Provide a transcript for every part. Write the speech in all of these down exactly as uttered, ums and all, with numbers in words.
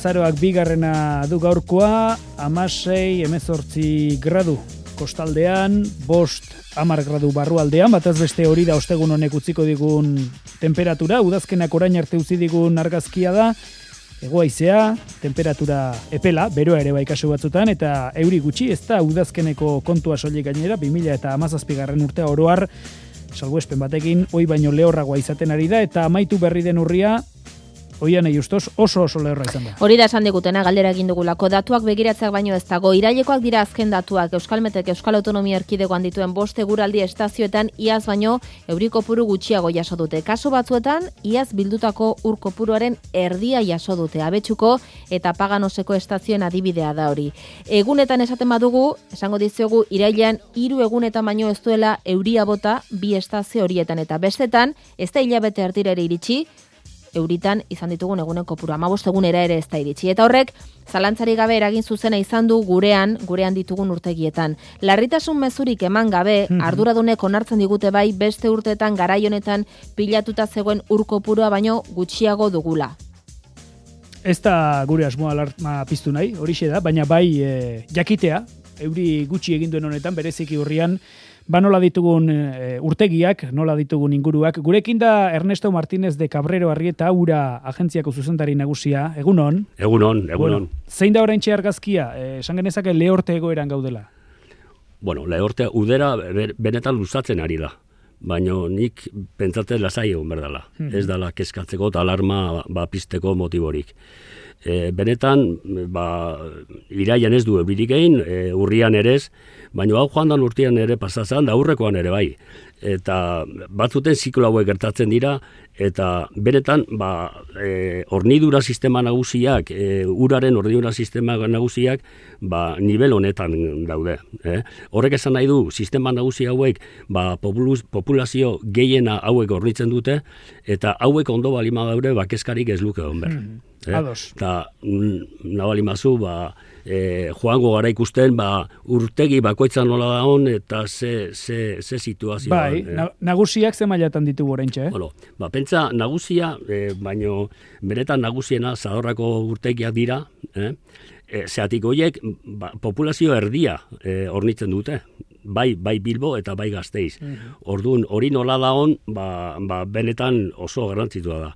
Azaroak bigarrena du gaurkoa, hamasei hemezortzi gradu kostaldean, bost hamar gradu barrualdean, batez beste hori da ostegun honek utziko digun temperatura, udazkenak orain arte utzi digun argazkia da, hegoaizea, temperatura epela, beroa ere bai kasu batzutan, eta euri gutxi, ez da udazkeneko kontua soilik gainera, bi mila hamazazpigarren urtea oroar, salbuespen batekin, oi baino lehorragoa izaten ari da, eta amaitu berri den urria, Oian justos oso oso lehorra izan da. Hori da esan digutena, galdera egin dugulako. Datuak begiratzeak baino ez dago. Irailekoak dira azken datuak. Euskalmetek Euskal Autonomia Erkidegoan dituen bost eguraldi estazioetan iaz baino euri kopuru gutxiago jaso dute. Kasu batzuetan iaz bildutako ur kopuruaren erdia jaso dute. Abetxuko eta Paganoseko estazioen adibidea da hori. Egunetan esaten badugu, esango diziogu irailean hiru egunetan baino ez duela euria bota bi estazio horietan eta bestetan ez da hilabete erdira ere iritsi. Euritan izan ditugun egunen kopuru hamabost egunera ere ez da iritsi. Eta horrek, zalantzari gabe eragin zuzena izan du gurean, gurean ditugun urtegietan. Larritasun mezurik eman gabe, mm-hmm. arduradunek onartzen digute bai beste urteetan garai honetan pilatuta zegoen ur kopurua baino gutxiago dugula. Ez da gure asmoa alarma piztu nahi, horixe da, baina bai e, jakitea, euri gutxi egin duen honetan, bereziki urrian, ba nola ditugun e, urtegiak, nola ditugun inguruak. Gurekin da Ernesto Martínez de Cabrero Arrieta, ura agentziako zuzendari nagusia. Egunon? Egunon, egunon. Bueno, zein da oraintxe argazkia? E, esan genezake lehorte egoeran gaudela? Bueno, lehorte udera benetan luzatzen ari da. Baina nik pentsatzen lasai egon berdala. Hmm. Ez dala keskatzeko eta alarma ba, pizteko motiborik. E, benetan, ba, iraian ez du euririk egin, e, urrian ere ez, baina hau joan dan urtean ere pasazan, da aurrekoan ere bai. Eta batzuten ziklo hauek gertatzen dira, eta benetan, ba, e, hornidura sistema nagusiak, e, uraren hornidura sistema nagusiak, ba, nivel honetan daude. Eh? Horrek esan nahi du, sistema nagusi hauek, ba, populazio gehiena hauek hornitzen dute, eta hauek ondo balima daure, ba, keskarik ez luke hon behar. Hmm. Eh? Eta nabali mazu, ba, e, joango gara ikusten, ba, urtegi bakoitzan nola da hon, eta ze, ze, ze situazioa. Bai, eh? nagusiak ze mailatan ditugu oraintxe, eh? Bueno, ba, pentsa, nagusia, e, baino, benetan nagusiena zadorrako urtegiak dira, eh? E, zeatik horiek, ba, populazio erdia e, hornitzen dute. Bai, bai Bilbo eta bai Gasteiz. Mm-hmm. Orduan, hori nola da hon, ba, ba, benetan oso garrantzitua da.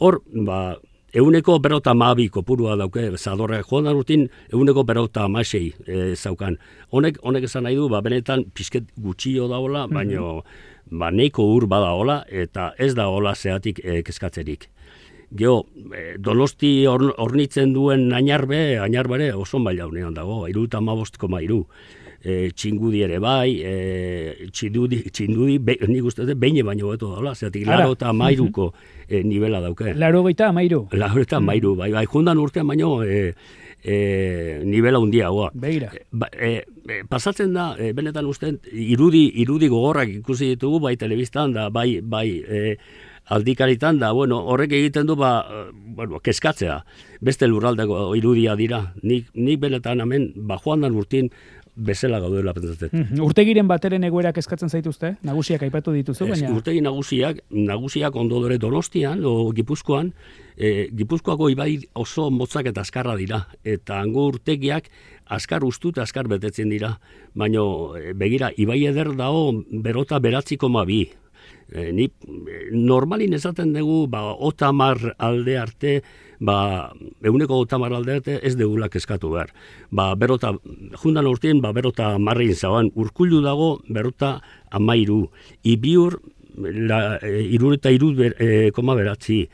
Hor, ba, Euneko berota mabi kopurua dauke, zadorrak joan da rutin, euneko berota amasei e, zaukan. Honek, honek esan nahi du, ba, benetan pizket gutxio da hola, mm-hmm. baina ba, neiko ur bada hola, eta ez da hola zeatik e, kezkatzerik. Geo, e, Donosti hornitzen duen ainarbe, ainarbere oso maila honean dago, iruta amabost koma iru. E, txingudi ere bai, e, txindudi, txindudi be, nik uste dut, beine baino beto daula, zeatik laro eta amairuko e, nivela dauke. Laro gaita amairu? Laro eta amairu, bai, bai, jundan urtean baino e, e, nivela hundiagoa. Begira. Ba, e, e, pasatzen da, e, benetan uste, irudi, irudi gogorrak ikusi ditugu, bai telebistan da, bai, bai, e, aldikaritan da, bueno, horrek egiten du, ba, bueno, keskatzea. Beste lurraldeko irudia dira. Nik, nik benetan hemen, ba, joan dan urtin, bezala gaudela pentsatzen. Mm-hmm. Urtegiren bateren egoerak eskatzen zaituzte? Nagusiak aipatu dituzu, ez, baina... Urtegi nagusiak, nagusiak ondo dore Donostian, o Gipuzkoan, e, Gipuzkoako ibai oso motzak eta askarra dira. Eta hango urtegiak askar ustu eta askar betetzen dira. Baina, begira, ibai eder dago berota beratzi koma bi. E, ni, normalin esaten dugu, ba, otamar alde arte, ba, eguneko otamar alde arte ez degulak eskatu behar. Ba, berota, jundan urtien, ba, berota marrein zaban, urkullu dago, berota amairu. Ibiur, la, e, irur eta irud ber, e, koma beratzi.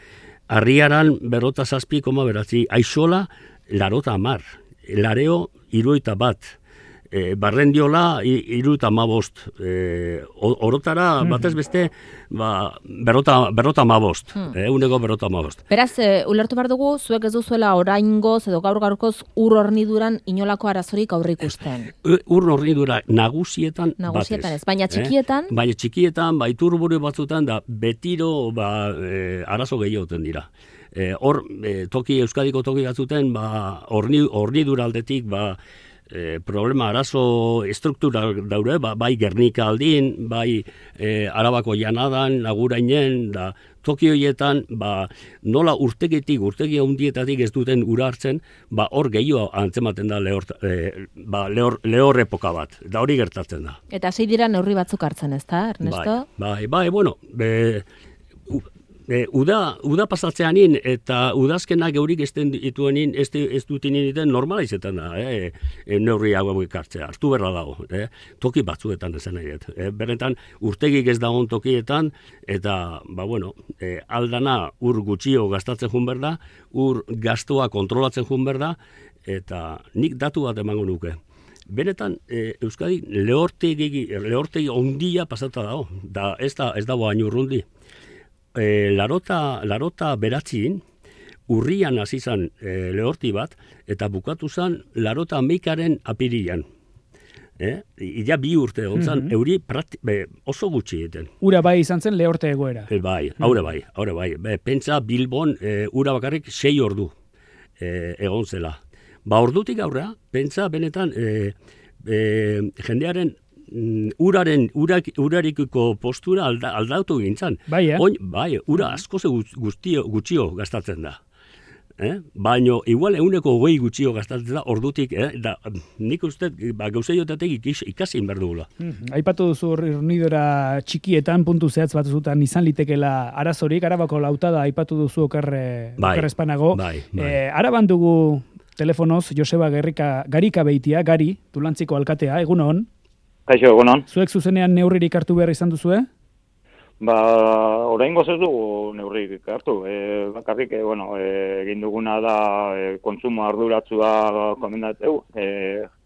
Arriaran, berota zazpi koma beratzi. Aixola, larota amar. Lareo, iruita bat. E, barrendiola iruta mabost e, orotara mm. batez beste ba, berota, berota mabost mm. e, uneko berota mabost beraz, e, ulertu behar dugu zuek ez duzuela oraingoz edo gaur gaurkoz ur horniduran inolako arazorik aurre ikusten e, ur hornidura nagusietan nagusietan ez, baina txikietan e? Baina txikietan, ba, iturburu batzutan da betiro ba, e, arazo gehioten dira hor, e, toki Euskadiko toki batzuten ba, horni, hornidura aldetik ba, e, problema arazo estruktura daure, ba, bai Gernika aldin, bai e, Arabako janadan, Agurainen, da toki horietan, ba, nola urtegitik, urtegi handietatik ez duten ura hartzen, ba, hor gehiago antzematen da lehor, e, ba, lehor, lehor epoka bat, da hori gertatzen da. Eta sei dira neurri batzuk hartzen, ez da, Ernesto? Bai, bai, bai, bueno, be, u, e, uda, uda pasatzeanin eta udazkenak eurik ez dituenin, ez, ez dutinin iten normala izetan da, eh, e, neurri hauek hartzea, hartu berra dago, eh, toki batzuetan esan nahi, eh, beretan urtegik ez dagoen tokietan, eta, ba, bueno, e, aldana ur gutxio gastatzen jun berda, ur gastoa kontrolatzen jun berda, eta nik datu bat emango nuke. Benetan, e, Euskadi lehortegi, lehortegi ondia pasata dago, da ez, da, ez dago hain urrundi. E, larota, larota beratzin, urrian hasi zan e, lehorti bat, eta bukatu zan larota meikaren apirian. Eh? Ila bi urte ontzan, mm-hmm. euri prati, be, oso gutxi egiten. Ura bai izan zen lehorte egoera. E, bai, haure bai, haure bai. Be, pentsa Bilbon e, ura bakarrik sei ordu e, egon zela. Ba ordutik aurrea, pentsa benetan e, e, jendearen uraren urak, urarikiko postura alda, aldautu gintzan. Bai, eh? Oin, bai, ura asko ze guztio, gutxio gastatzen da. Eh? Baino, igual euneko hogei gutxio gastatzen da, ordutik, eh? Da, nik uste, ba, gauzaiotatek ikasi behar dugula. Hmm. Aipatu duzu hornidora txikietan, puntu zehatz bat zutan izan litekela arazorik, Arabako lautada aipatu duzu okerre, bai, okerre espanago. Bai, bai. Eh, Araban dugu telefonoz Joseba Gerrika, Garika Beitia, Gari, Tulantziko alkatea, egun hon? Kaixo, egunon. Zuek zuzenean neurririk hartu behar izan duzue? Ba, oraingoz ez dugu neurririk hartu. E, bakarrik, e, bueno, e, egin duguna da e, kontsumo arduratsua komendateu, e,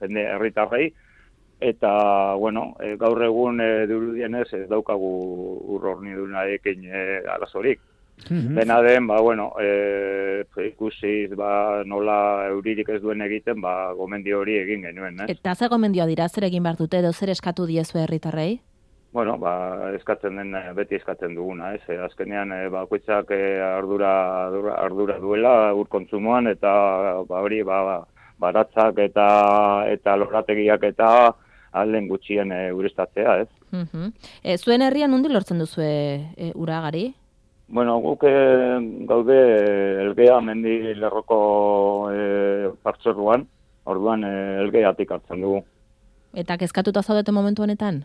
jende herritarrei, eta, bueno, e, gaur egun e, dirudienez ez daukagu urrornidunarekin e, arazorik. Mm-hmm. Dena den, ba, bueno, e, ikusiz, ba, nola euririk ez duen egiten, ba, gomendio hori egin genuen, ez? Eta ze gomendioa dira, zer egin behar dute, edo zer eskatu diezu herritarrei? Bueno, ba, eskatzen den, beti eskatzen duguna, ez? E, azkenean, e, bakoitzak e, ardura, ardura, ardura duela ur kontsumoan, eta ba, hori, ba, baratzak eta, eta lorategiak eta alden gutxien e, urestatzea, ez? Mm-hmm. E, zuen herrian nundi lortzen duzue e, uragari? Bueno, guk gaude Elgea mendi lerroko e, partzuerruan, orduan e, Elgeatik hartzen dugu. Eta kezkatuta zaudete momentu honetan?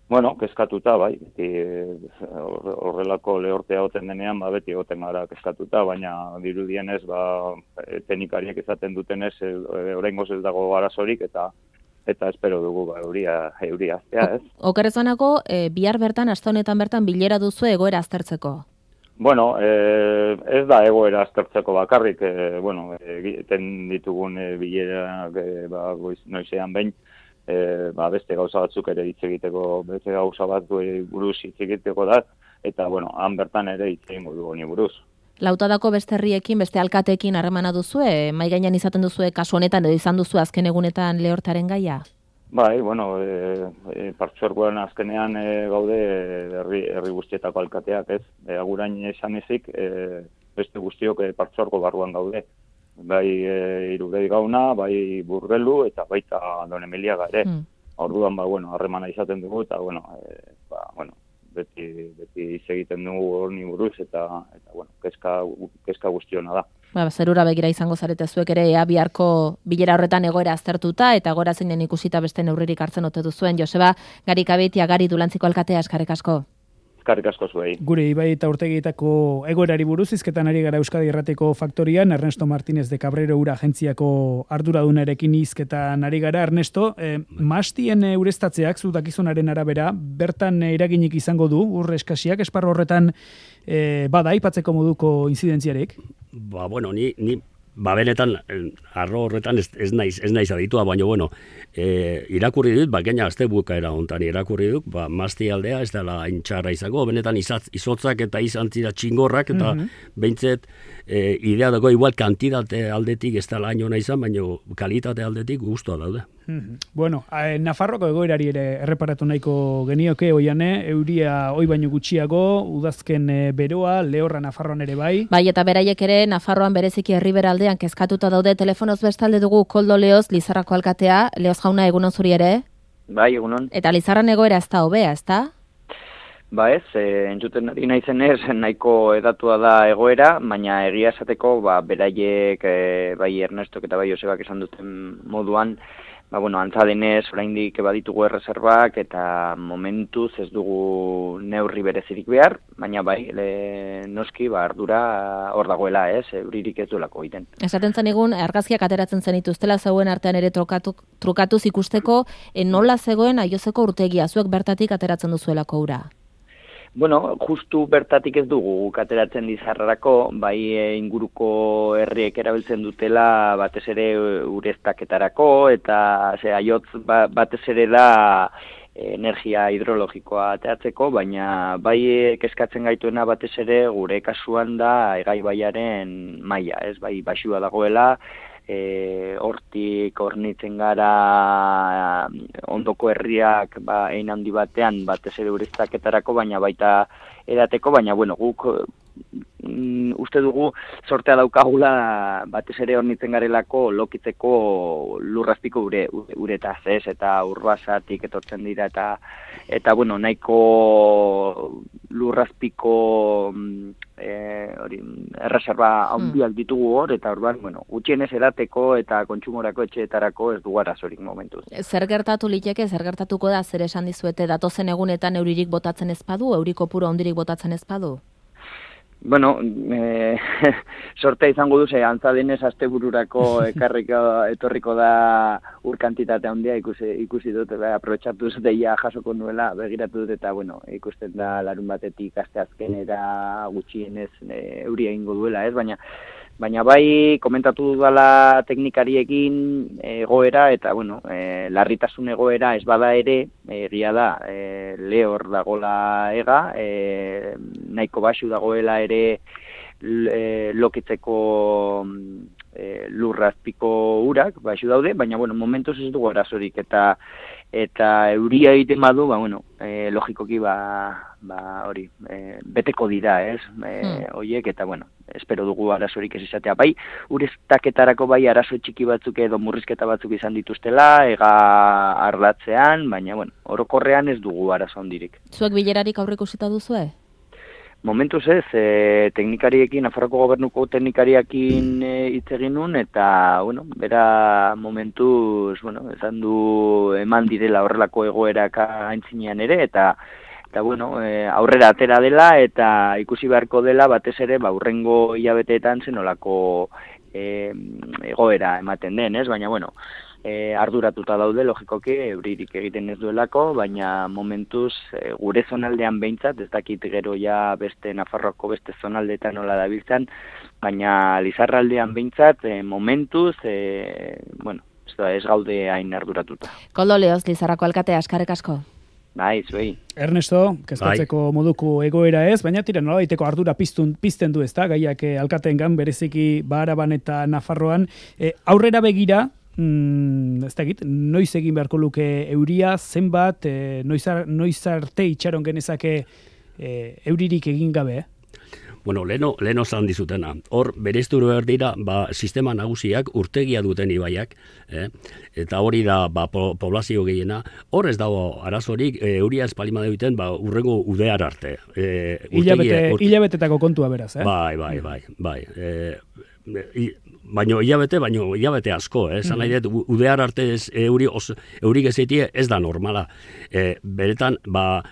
Bueno, kezkatuta, bai. Beti horrelako lehortea oten denean, ba, beti oten gara kezkatuta, baina dirudienez, ba, teknikariek izaten dutenez, e, oraingoz ez dago arazorik, eta eta espero dugu ba, euria, euria aztea, ez? Okerrezanako, e, bihar bertan, aste honetan bertan, bilera duzu egoera aztertzeko? Bueno, eh, ez da egoera aztertzeko bakarrik, eh, bueno, egiten ditugun eh, bilerak eh, ba, noizean behin, eh, ba, beste gauza batzuk ere hitz egiteko, beste gauza batzu buruz hitz egiteko da, eta, bueno, han bertan ere hitz egingo du honi buruz. Lautadako beste herriekin, beste alkateekin harremana duzue, mai gainean izaten duzue kasu honetan, edo izan duzu azken egunetan lehortaren gaia? Bai, bueno, e, e, partzuergoan azkenean e, gaude herri, herri guztietako alkateak, ez? E, agurain esan ezik, e, beste guztiok e, partzuergo barruan gaude. Bai e, Iruredi Gauna, bai Burgelu, eta baita Don Emiliaga ere. Mm. Orduan, ba, bueno, harremana izaten dugu, eta, bueno, e, ba, bueno, beti, beti egiten dugu horni buruz, eta, eta bueno, kezka, kezka guztiona da. Ba, zerura begira izango zarete zuek ere, ea biharko bilera horretan egoera aztertuta, eta gora zeinen ikusita beste neurririk hartzen ote duzuen. Joseba, Garika Beitia, Gari, Tulantziko alkatea, eskerrik asko. Eskerrik asko zuei. Gure Ibai eta Urtegietako egoerari buruz hizketan ari gara Euskadi Irratiko Faktorian, Ernesto Martínez de Cabrero ura agentziako arduradunarekin hizketan ari gara. Ernesto, eh, mastien urestatzeak zu dakizunaren arabera, bertan eraginik izango du, ur eskasiak, esparru horretan eh, bada aipatzeko moduko inzidentziarik? Ba, bueno, ni, ni ba, benetan, arro horretan ez, ez naiz, ez naiz aditua, baina, bueno, e, irakurri dut, ba, gaina azte bukaera hontan irakurri dut, ba, mazti aldea ez dela intxarra izango, benetan izatz, izotzak eta izan zira txingorrak, eta mm-hmm. behintzet, e, idea dago igual kantitate aldetik ez da laino nahi izan, baina kalitate aldetik guztua daude. Mm-hmm. Bueno, eh, Nafarroko egoerari ere erreparatu nahiko genioke, oiane, euria oi baino gutxiago, udazken e, beroa, lehorra Nafarroan ere bai. Bai, eta beraiek ere Nafarroan bereziki herriberaldean kezkatuta daude. Telefonoz bestalde dugu Koldo Leoz, Lizarrako alkatea. Leoz jauna, egunon zuri ere? Bai, egunon. Eta Lizarran egoera ez da hobea, ez da? Ba ez, e, entzuten ari naizenez, nahiko edatua da egoera, baina egia esateko, ba, beraiek, e, bai Ernestok eta bai Josebak esan duten moduan, ba, bueno, antza denez, oraindik baditugu erreserbak eta momentuz ez dugu neurri berezirik behar, baina bai, le, noski, ba, ardura hor dagoela, ez, euririk ez duelako egiten. Esaten zen egun, argazkiak ateratzen zen ituztela zeuen artean ere trokatu, trukatuz ikusteko, e, nola zegoen aiozeko urtegia, zuek bertatik ateratzen duzuelako ura? Bueno, justu bertatik ez dugu ateratzen Lizarrarako, bai e, inguruko herriek erabiltzen dutela batez ere ureztaketarako, eta ze, aiotz ba, batez ere da energia hidrologikoa ateratzeko, baina bai kezkatzen gaituena batez ere gure kasuan da Egai baiaren maila, ez, bai baxua dagoela, E, hortik hornitzen gara ondoko herriak ba, ein handi batean batez ere ureztaketarako, baina baita edateko, baina bueno, guk mm, uste dugu sortea daukagula batez ere hornitzen garelako lokitzeko lurrazpiko ure, uretaz, ez, eta urbasatik etortzen dira, eta eta bueno, nahiko lurrazpiko E, hori, erreserba handiak ditugu hor, eta orduan, bueno, gutxienez edateko eta kontsumorako etxeetarako ez dugu arazorik momentuz. Zer gertatu liteke, zer gertatuko da, zer esan dizuete, datozen egunetan euririk botatzen ezpadu, euriko puro handirik botatzen ezpadu? Bueno, e, sortea izango duze, antza denez astebururako ekarriko etorriko da ur kantitate handia ikusi, ikusi dut, ba, aprobetxatuz deia jasoko nuela, begiratu dut, eta bueno, ikusten da larun batetik asteazkenera gutxienez e, euria egingo duela, ez, baina Baina bai, komentatu dudala teknikariekin egoera, eta bueno, e, larritasun egoera ez bada ere, egia da, e, lehor dagola ega, e, nahiko baxu dagoela ere e, lokitzeko e, lurrazpiko urak, baxu daude, baina bueno, momentuz ez dugu arazorik, eta eta euria egiten badu, ba, bueno, e, logikoki ba, ba, hori, e, beteko dira, ez, e, hmm. oiek, eta bueno, espero dugu arazorik ez izatea. Bai, ureztaketarako bai arazo txiki batzuk edo murrizketa batzuk izan dituztela, ega arlatzean, baina, bueno, orokorrean ez dugu arazo handirik. Zuek bilerarik aurreikusita duzue? Momentuz ez, e, teknikariekin, Nafarroko gobernuko teknikariakin hitz e, egin nun, eta, bueno, bera momentuz, bueno, esan du eman direla horrelako egoerak aintzinean ere, eta eta bueno, e, aurrera atera dela eta ikusi beharko dela batez ere ba hurrengo hilabeteetan zenolako e, egoera ematen den, ez? Baina bueno, e, arduratuta daude logikoki euririk egiten ez duelako, baina momentuz e, gure zonaldean behintzat, ez dakit gero ja beste Nafarroako beste zonaldeetan nola dabiltzan, baina Lizarraldean behintzat e, momentuz e, bueno, ez gaude hain arduratuta. Koldo Leoz, Lizarrako alkatea, eskerrik asko. Bai, zuei. Ernesto, kezkatzeko bai. Moduko egoera ez, baina tira nola daiteko ardura piztun, pizten du ez da, gaiak eh, alkateengan bereziki Baharaban eta Nafarroan. Eh, aurrera begira, mm, ez da egit, noiz egin beharko luke euria, zenbat, eh, noiz, ar, noiz arte itxaron genezake eh, euririk egin gabe, eh? Bueno, leno, leno zan dizutena. Hor, berezturu behar dira, ba, sistema nagusiak urtegia duten ibaiak, eh? Eta hori da, ba, po, poblazio gehiena. Hor ez dago arazorik, e, euria espalima duten, ba, urrengo udear arte. E, Hilabete, urte... Hilabetetako kontua beraz, eh? Bai, bai, bai, bai. E, e, baino hilabete, baino hilabete asko, eh? Zan nahi dut, udear arte ez, euri, os, eurik ezetie ez da normala. E, beretan, ba,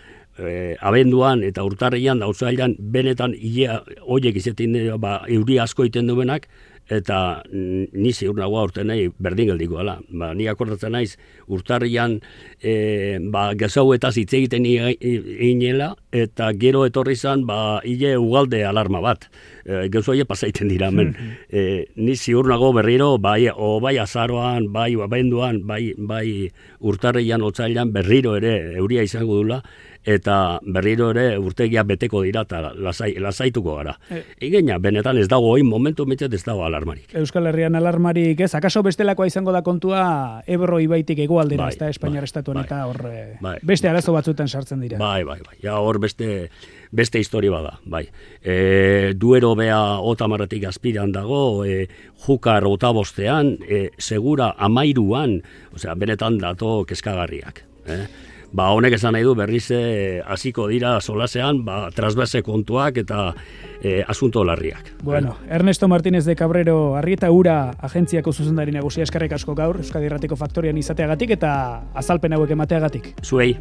E, abenduan eta urtarrian da utzailan benetan hilea horiek izetin ba, euri asko iten duenak, eta ni ziur nagoa urte nahi berdin geldiko ala. Ba, ni akordatzen naiz urtarrian e, ba, gezauetaz hitz egiten inela, eta gero etorri zan ba, hile ugalde alarma bat. E, Gezoie pasaiten dira hemen. E, ni ziur nago berriro, bai, o bai azaroan, bai abenduan, bai, bai urtarrian otzailan berriro ere euria izango dula, eta berriro ere urtegia beteko dira eta lasai, lasaituko gara. E. Egina, benetan ez dago, oin momentu mitzat ez dago alarmarik. Euskal Herrian alarmarik ez, akaso bestelakoa izango da kontua Ebro ibaitik hegoaldera, bai, ez da, Espainiar bai, estatuan bai, eta hor bai, beste arazo batzuetan sartzen dira. Bai, bai, bai, ja hor beste, beste historia bada, bai. E, duero bea otamarretik azpiran dago, e, jukar otabostean, e, segura amairuan, osea, benetan dato kezkagarriak. Eh? Ba, honek esan nahi du berriz hasiko dira solasean, ba, trasbase kontuak eta e, asunto larriak. Bueno, Ernesto Martínez de Cabrero, Arrieta Ura agentziako zuzendari nagusia, eskerrik asko gaur, Euskadi Irratiko Faktorian izateagatik eta azalpen hauek emateagatik. Zuei.